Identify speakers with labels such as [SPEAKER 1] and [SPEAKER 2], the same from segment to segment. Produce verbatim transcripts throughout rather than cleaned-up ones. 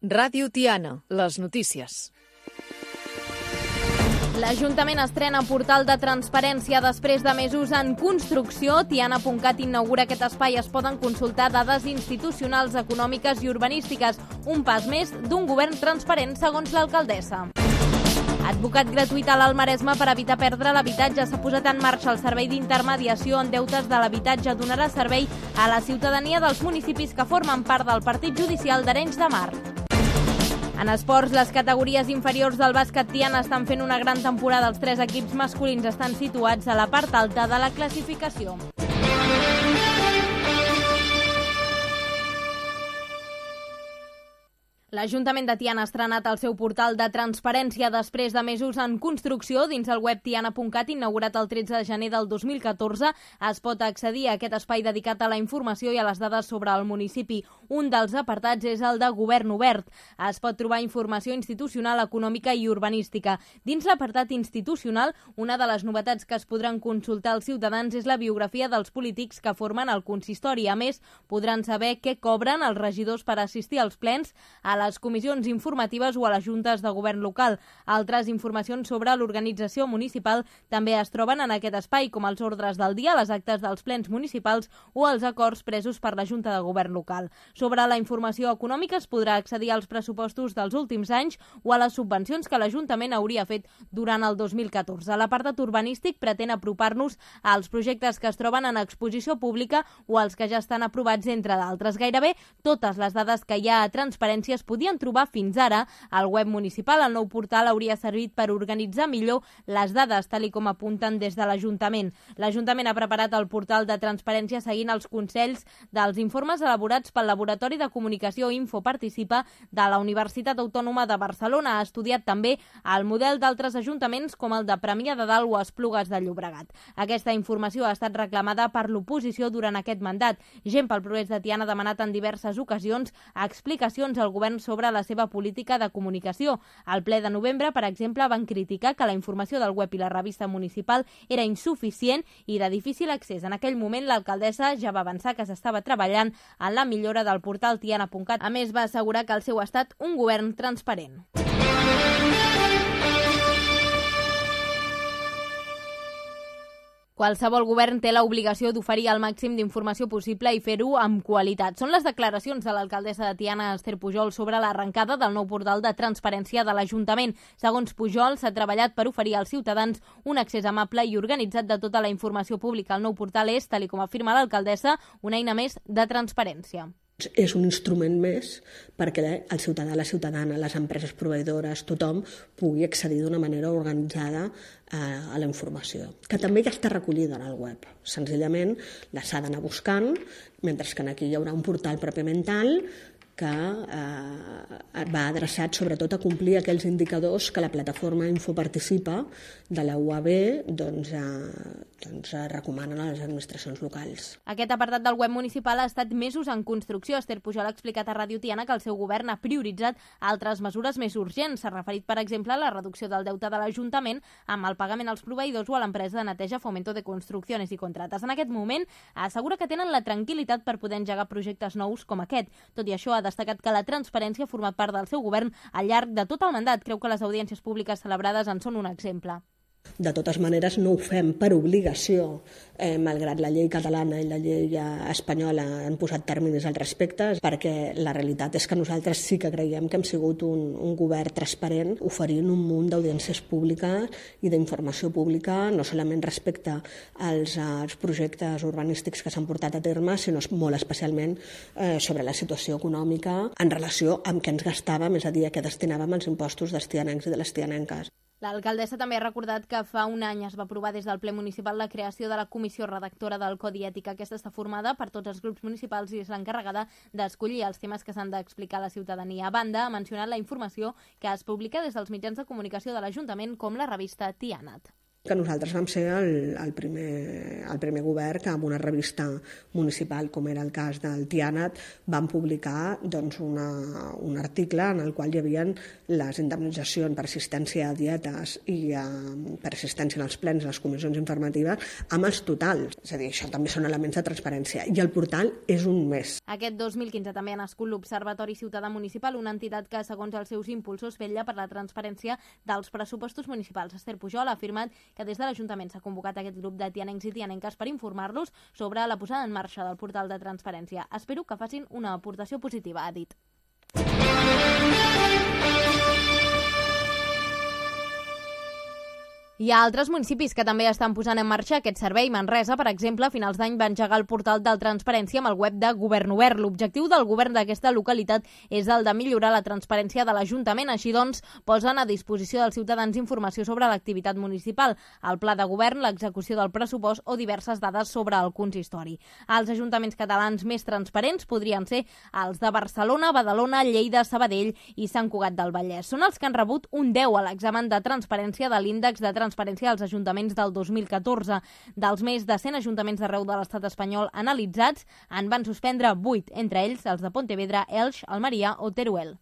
[SPEAKER 1] Ràdio Tiana, les notícies.
[SPEAKER 2] L'Ajuntament estrena portal de transparència després de mesos en construcció. Tiana punt cat inaugura aquest espai. Es poden consultar dades institucionals, econòmiques i urbanístiques. Un pas més d'un govern transparent, segons l'alcaldessa. Advocat gratuït a l'Alt Maresme per evitar perdre l'habitatge. S'ha posat en marxa el servei d'intermediació en deutes de l'habitatge. Donarà servei a la ciutadania dels municipis que formen part del partit judicial d'Arenys de Mar. En esports, les categories inferiors del bàsquet Tiana estan fent una gran temporada. Els tres equips masculins estan situats a la part alta de la classificació. L'Ajuntament de Tiana ha estrenat el seu portal de transparència després de mesos en construcció. Dins el web tiana punt cat, inaugurat el tretze de gener del dos mil catorze, es pot accedir a aquest espai dedicat a la informació i a les dades sobre el municipi. Un dels apartats és el de Govern Obert. Es pot trobar informació institucional, econòmica i urbanística. Dins l'apartat institucional, una de les novetats que es podran consultar als ciutadans és la biografia dels polítics que formen el consistori. A més, podran saber què cobren els regidors per assistir als plens, a les comissions informatives o a les juntes de govern local. Altres informacions sobre l'organització municipal també es troben en aquest espai, com els ordres del dia, les actes dels plens municipals o els acords presos per la Junta de Govern local. Sobre la informació econòmica es podrà accedir als pressupostos dels últims anys o a les subvencions que l'Ajuntament hauria fet durant el dos mil catorze. L'apartat urbanístic pretén apropar-nos als projectes que es troben en exposició pública o als que ja estan aprovats, entre d'altres. Gairebé totes les dades que hi ha a transparència es podien trobar fins ara al web municipal. El nou portal hauria servit per organitzar millor les dades, tal i com apunten des de l'Ajuntament. L'Ajuntament ha preparat el portal de transparència seguint els consells dels informes elaborats pel Laboratori de Comunicació Info Participa de la Universitat Autònoma de Barcelona. Ha estudiat també el model d'altres ajuntaments com el de Premià de Dalt o Esplugues de Llobregat. Aquesta informació ha estat reclamada per l'oposició durant aquest mandat. Gent pel Progrés de Tiana ha demanat en diverses ocasions explicacions al govern sobre la seva política de comunicació. Al ple de novembre, per exemple, van criticar que la informació del web i la revista municipal era insuficient i de difícil accés. En aquell moment, l'alcaldessa ja va avançar que s'estava treballant en la millora del portal tiana punt cat. A més, va assegurar que el seu ha estat un govern transparent. Qualsevol govern té l'obligació d'oferir el màxim d'informació possible i fer-ho amb qualitat. Són les declaracions de l'alcaldessa de Tiana, Esther Pujol, sobre l'arrencada del nou portal de transparència de l'Ajuntament. Segons Pujol, s'ha treballat per oferir als ciutadans un accés amable i organitzat de tota la informació pública. El nou portal és, tal com afirma l'alcaldessa, una eina més de transparència.
[SPEAKER 3] És un instrument més perquè el ciutadà, la ciutadana, les empreses proveïdores, tothom pugui accedir d'una manera organitzada a la informació, que també ja està recollida en el web. Senzillament la s'ha d'anar buscant, mentre que aquí hi haurà un portal pròpiament tal que eh, va adreçat sobretot a complir aquells indicadors que la plataforma Infoparticipa de la U A B doncs, eh, doncs, recomanen a les administracions locals.
[SPEAKER 2] Aquest apartat del web municipal ha estat mesos en construcció. Esther Pujol ha explicat a Ràdio Tiana que el seu govern ha prioritzat altres mesures més urgents. S'ha referit, per exemple, a la reducció del deute de l'Ajuntament amb el pagament als proveïdors o a l'empresa de neteja Fomento de Construcciones i Contrates. En aquest moment, assegura que tenen la tranquil·litat per poder engegar projectes nous com aquest. Tot i això, ha destacat que la transparència ha format part del seu govern al llarg de tot el mandat. Creu que les audiències públiques celebrades en són un exemple.
[SPEAKER 3] De totes maneres, no ho fem per obligació, eh, malgrat la llei catalana i la llei espanyola han posat terminis al respecte, perquè la realitat és que nosaltres sí que creiem que hem sigut un, un govern transparent, oferint un munt d'audiències públiques i d'informació pública, no solament respecte als, als projectes urbanístics que s'han portat a terme, sinó molt especialment eh, sobre la situació econòmica en relació amb què ens gastàvem, és a dir, a què destinàvem els impostos dels tianencs i de les tianenques.
[SPEAKER 2] L'alcaldessa també ha recordat que fa un any es va aprovar des del ple municipal la creació de la comissió redactora del Codi Ètic. Aquesta està formada per tots els grups municipals i és l'encarregada d'escollir els temes que s'han d'explicar a la ciutadania. A banda, ha mencionat la informació que es publica des dels mitjans de comunicació de l'Ajuntament com la revista Tianat.
[SPEAKER 3] que nosaltres vam ser el, el, primer, el primer govern que amb una revista municipal, com era el cas del Tianat, vam publicar doncs, una, un article en el qual hi havia les indemnitzacions per assistència a dietes i a, per assistència en els plens, les comissions informatives, amb els totals. És a dir, això també són elements de transparència. I el portal és un mes.
[SPEAKER 2] Aquest dos mil quinze també ha nascut l'Observatori Ciutadà Municipal, una entitat que, segons els seus impulsors, vetlla per la transparència dels pressupostos municipals. Esther Pujol ha afirmat que des de l'Ajuntament s'ha convocat aquest grup de tianencs i tianenques per informar-los sobre la posada en marxa del portal de transparència. Espero que facin una aportació positiva, ha dit. Hi ha altres municipis que també estan posant en marxa aquest servei. Manresa, per exemple, a finals d'any va engegar el portal de transparència amb el web de Govern Obert. L'objectiu del govern d'aquesta localitat és el de millorar la transparència de l'Ajuntament. Així doncs, posen a disposició dels ciutadans informació sobre l'activitat municipal, el pla de govern, l'execució del pressupost o diverses dades sobre el consistori. Els ajuntaments catalans més transparents podrien ser els de Barcelona, Badalona, Lleida, Sabadell i Sant Cugat del Vallès. Són els que han rebut un deu a l'examen de transparència de l'índex de transparència transparència dels ajuntaments del dos mil catorze. Dels més de cent ajuntaments d'arreu de l'estat espanyol analitzats, en van suspendre vuit, entre ells els de Pontevedra, Elx, Almeria o Teruel.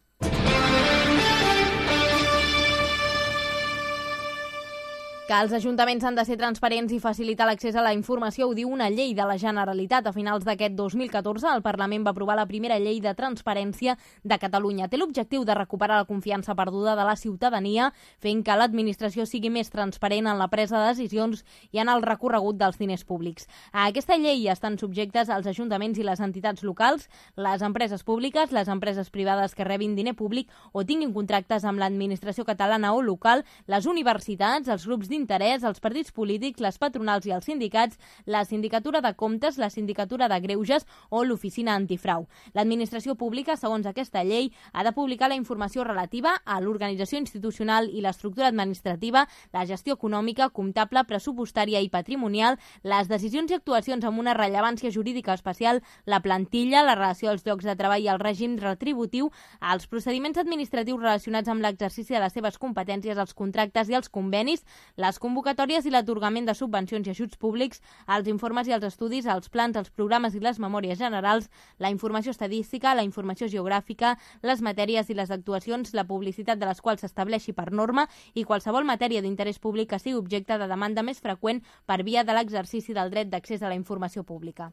[SPEAKER 2] Que els ajuntaments han de ser transparents i facilitar l'accés a la informació ho diu una llei de la Generalitat. A finals d'aquest dos mil catorze, el Parlament va aprovar la primera llei de transparència de Catalunya. Té l'objectiu de recuperar la confiança perduda de la ciutadania, fent que l'administració sigui més transparent en la presa de decisions i en el recorregut dels diners públics. A aquesta llei estan subjectes els ajuntaments i les entitats locals, les empreses públiques, les empreses privades que rebin diner públic o tinguin contractes amb l'administració catalana o local, les universitats, els grups d'interès, els partits polítics, les patronals i els sindicats, la sindicatura de comptes, la sindicatura de greuges o l'oficina antifrau. L'administració pública, segons aquesta llei, ha de publicar la informació relativa a l'organització institucional i l'estructura administrativa, la gestió econòmica, comptable, pressupostària i patrimonial, les decisions i actuacions amb una rellevància jurídica especial, la plantilla, la relació als llocs de treball i el règim retributiu, els procediments administratius relacionats amb l'exercici de les seves competències, els contractes i els convenis, les convocatòries i l'atorgament de subvencions i ajuts públics, els informes i els estudis, els plans, els programes i les memòries generals, la informació estadística, la informació geogràfica, les matèries i les actuacions, la publicitat de les quals s'estableixi per norma i qualsevol matèria d'interès públic que sigui objecte de demanda més freqüent per via de l'exercici del dret d'accés a la informació pública.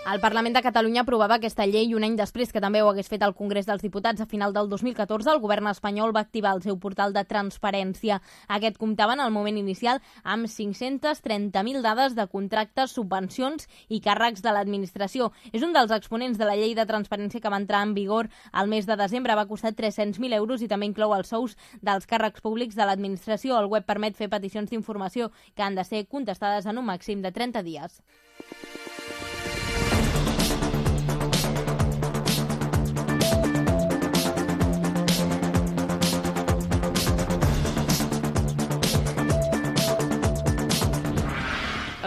[SPEAKER 2] El Parlament de Catalunya aprovava aquesta llei un any després que també ho hagués fet el Congrés dels Diputats. A final del dos mil catorze, el govern espanyol va activar el seu portal de transparència. Aquest comptava en el moment inicial amb cinc-centes trenta mil dades de contractes, subvencions i càrrecs de l'administració. És un dels exponents de la llei de transparència que va entrar en vigor al mes de desembre. Va costar tres-cents mil euros i també inclou els sous dels càrrecs públics de l'administració. El web permet fer peticions d'informació que han de ser contestades en un màxim de trenta dies.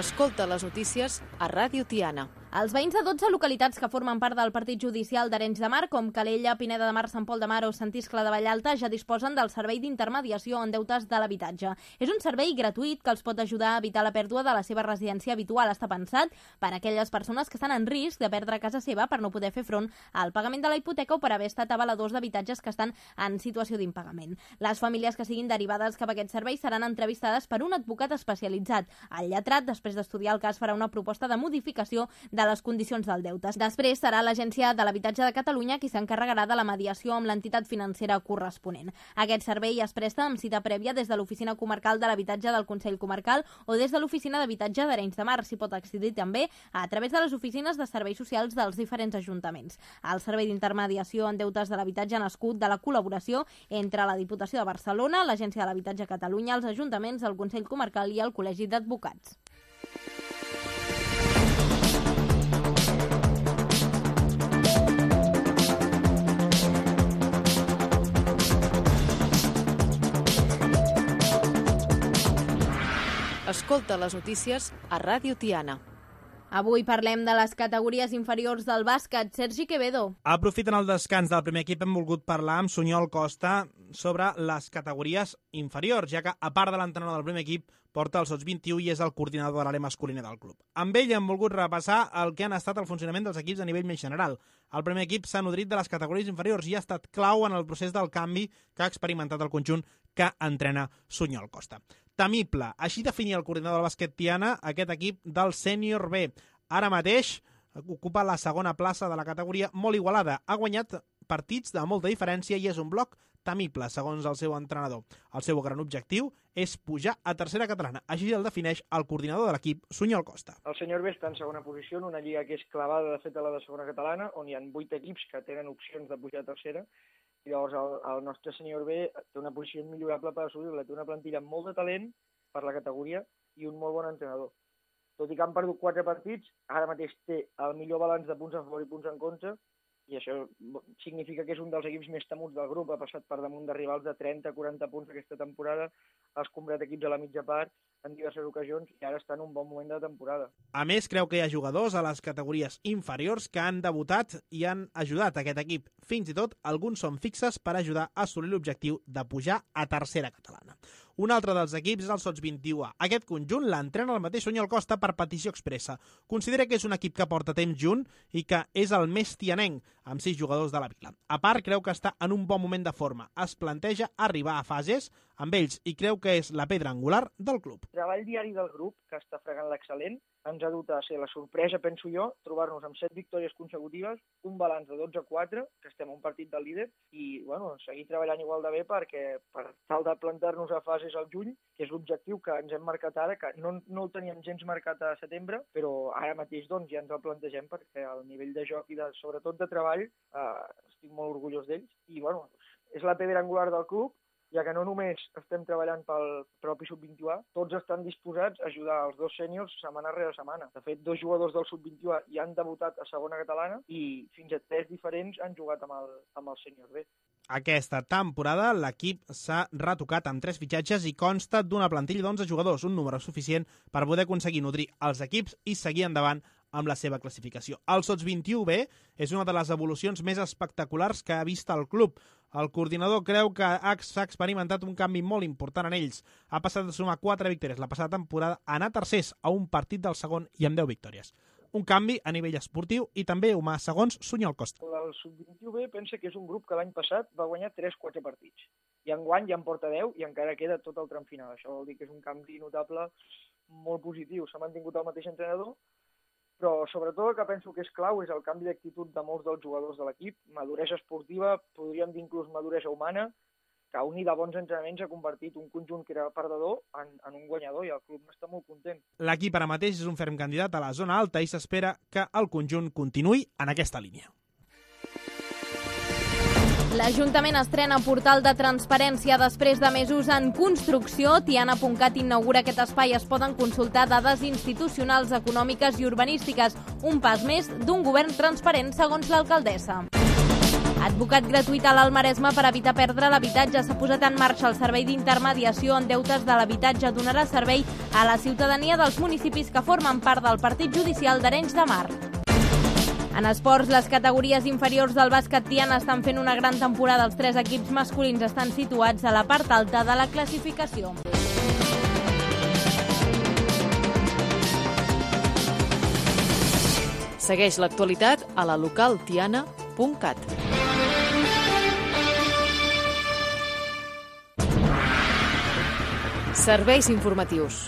[SPEAKER 1] Escolta les notícies a Ràdio Tiana.
[SPEAKER 2] Els veïns de dotze localitats que formen part del partit judicial d'Arenys de Mar, com Calella, Pineda de Mar, Sant Pol de Mar o Sant Iscle de Vallalta, ja disposen del servei d'intermediació en deutes de l'habitatge. És un servei gratuït que els pot ajudar a evitar la pèrdua de la seva residència habitual. Està pensat per a aquelles persones que estan en risc de perdre casa seva per no poder fer front al pagament de la hipoteca o per haver estat avaladors d'habitatges que estan en situació d'impagament. Les famílies que siguin derivades cap a aquest servei seran entrevistades per un advocat especialitzat. El lletrat, després d'estudiar el cas, farà una proposta de modificació de de les condicions del deute. Després serà l'Agència de l'Habitatge de Catalunya qui s'encarregarà de la mediació amb l'entitat financera corresponent. Aquest servei es presta amb cita prèvia des de l'Oficina Comarcal de l'Habitatge del Consell Comarcal o des de l'Oficina d'Habitatge d'Arenys de Mar. S'hi pot accedir també a través de les oficines de serveis socials dels diferents ajuntaments. El servei d'intermediació en deutes de l'habitatge ha nascut de la col·laboració entre la Diputació de Barcelona, l'Agència de l'Habitatge a Catalunya, els ajuntaments, el Consell Comarcal i el Col·legi d'Advocats.
[SPEAKER 1] Escolta les notícies a Ràdio Tiana.
[SPEAKER 2] Avui parlem de les categories inferiors del bàsquet. Sergi Quevedo.
[SPEAKER 4] Aprofitant el descans del primer equip, hem volgut parlar amb Sunyol Costa sobre les categories inferiors, ja que, a part de l'entrenador del primer equip, porta el sots vint-i-u i és el coordinador de l'àrea masculina del club. Amb ell hem volgut repassar el que han estat el funcionament dels equips a nivell més general. El primer equip s'ha nodrit de les categories inferiors i ha estat clau en el procés del canvi que ha experimentat el conjunt que entrena Sunyol Costa. Temible, així definia el coordinador del bàsquet Tiana aquest equip del sènior B. Ara mateix ocupa la segona plaça de la categoria, molt igualada. Ha guanyat partits de molta diferència i és un bloc temible, segons el seu entrenador. El seu gran objectiu és pujar a tercera catalana. Així el defineix el coordinador de l'equip, Sunyol Costa.
[SPEAKER 5] El sènior B està en segona posició en una lliga que és clavada de fet a la de segona catalana, on hi ha vuit equips que tenen opcions de pujar a tercera, i llavors el, el nostre sènior B té una posició millorable per assolir-la. Té una plantilla amb molt de talent per la categoria i un molt bon entrenador. Tot i que han perdut quatre partits, ara mateix té el millor balanç de punts a favor i punts en contra, i això significa que és un dels equips més temuts del grup. Ha passat per damunt de rivals de trenta a quaranta punts aquesta temporada, ha escombrat equips a la mitja part en diverses ocasions i ara està en un bon moment de temporada.
[SPEAKER 4] A més, creu que hi ha jugadors a les categories inferiors que han debutat i han ajudat a aquest equip. Fins i tot, alguns són fixes per ajudar a assolir l'objectiu de pujar a tercera catalana. Un altre dels equips és el sots vint-i-u A. Aquest conjunt l'entrena el mateix Sunyol Costa per petició expressa. Considera que és un equip que porta temps junt i que és el més tianenc, amb sis jugadors de la vila. A part, creu que està en un bon moment de forma. Es planteja arribar a fases amb ells i creu que és la pedra angular del club.
[SPEAKER 5] El treball diari del grup, que està fregant l'excel·lent, ens ha dut a ser la sorpresa, penso jo, trobar-nos amb set victòries consecutives, un balanç de dotze a quatre, que estem a un partit del líder, i bueno, seguir treballant igual de bé perquè per tal de plantar-nos a fases al juny, que és l'objectiu que ens hem marcat ara, que no, no el teníem gens marcat a setembre, però ara mateix doncs, ja ens el plantegem perquè el nivell de joc i de, sobretot de treball eh, estic molt orgullós d'ells i bueno, és la pedra angular del club, ja que no només estem treballant pel propi sub vint-i-u A, tots estan disposats a ajudar els dos sèniors setmana rere setmana. De fet, dos jugadors del sub vint-i-u A ja han debutat a segona catalana i fins a tres diferents han jugat amb el, amb el sènior B.
[SPEAKER 4] Aquesta temporada l'equip s'ha retocat amb tres fitxatges i consta d'una plantilla d'onze jugadors, un número suficient per poder aconseguir nodrir els equips i seguir endavant amb la seva classificació. El sots vint-i-u B és una de les evolucions més espectaculars que ha vist el club. El coordinador creu que s'ha experimentat un canvi molt important en ells. Ha passat de sumar quatre victòries la passada temporada a anar tercers a un partit del segon i amb deu victòries. Un canvi a nivell esportiu i també humà, segons Sunyol Costa.
[SPEAKER 5] El sub vint-i-u B pensa que és un grup que l'any passat va guanyar tres quatre partits. I enguany ja en porta deu i encara queda tot el tram final. Això vol dir que és un canvi notable molt positiu. S'ha mantingut el mateix entrenador, però sobretot el que penso que és clau és el canvi d'actitud de molts dels jugadors de l'equip, maduresa esportiva, podríem dir inclús maduresa humana, que unida a bons entrenaments ha convertit un conjunt que era perdedor en, en un guanyador i el club està molt content.
[SPEAKER 4] L'equip ara mateix és un ferm candidat a la zona alta i s'espera que el conjunt continuï en aquesta línia.
[SPEAKER 2] L'Ajuntament estrena portal de transparència després de mesos en construcció. Tiana punt cat inaugura aquest espai. Es poden consultar dades institucionals, econòmiques i urbanístiques. Un pas més d'un govern transparent, segons l'alcaldessa. Advocat gratuït a l'Alt Maresme per evitar perdre l'habitatge. S'ha posat en marxa el servei d'intermediació en deutes de l'habitatge. Donarà servei a la ciutadania dels municipis que formen part del partit judicial d'Arenys de Mar. En esports, les categories inferiors del bàsquet Tiana estan fent una gran temporada. Els tres equips masculins estan situats a la part alta de la classificació.
[SPEAKER 1] Segueix l'actualitat a la local tiana punt cat. Serveis informatius.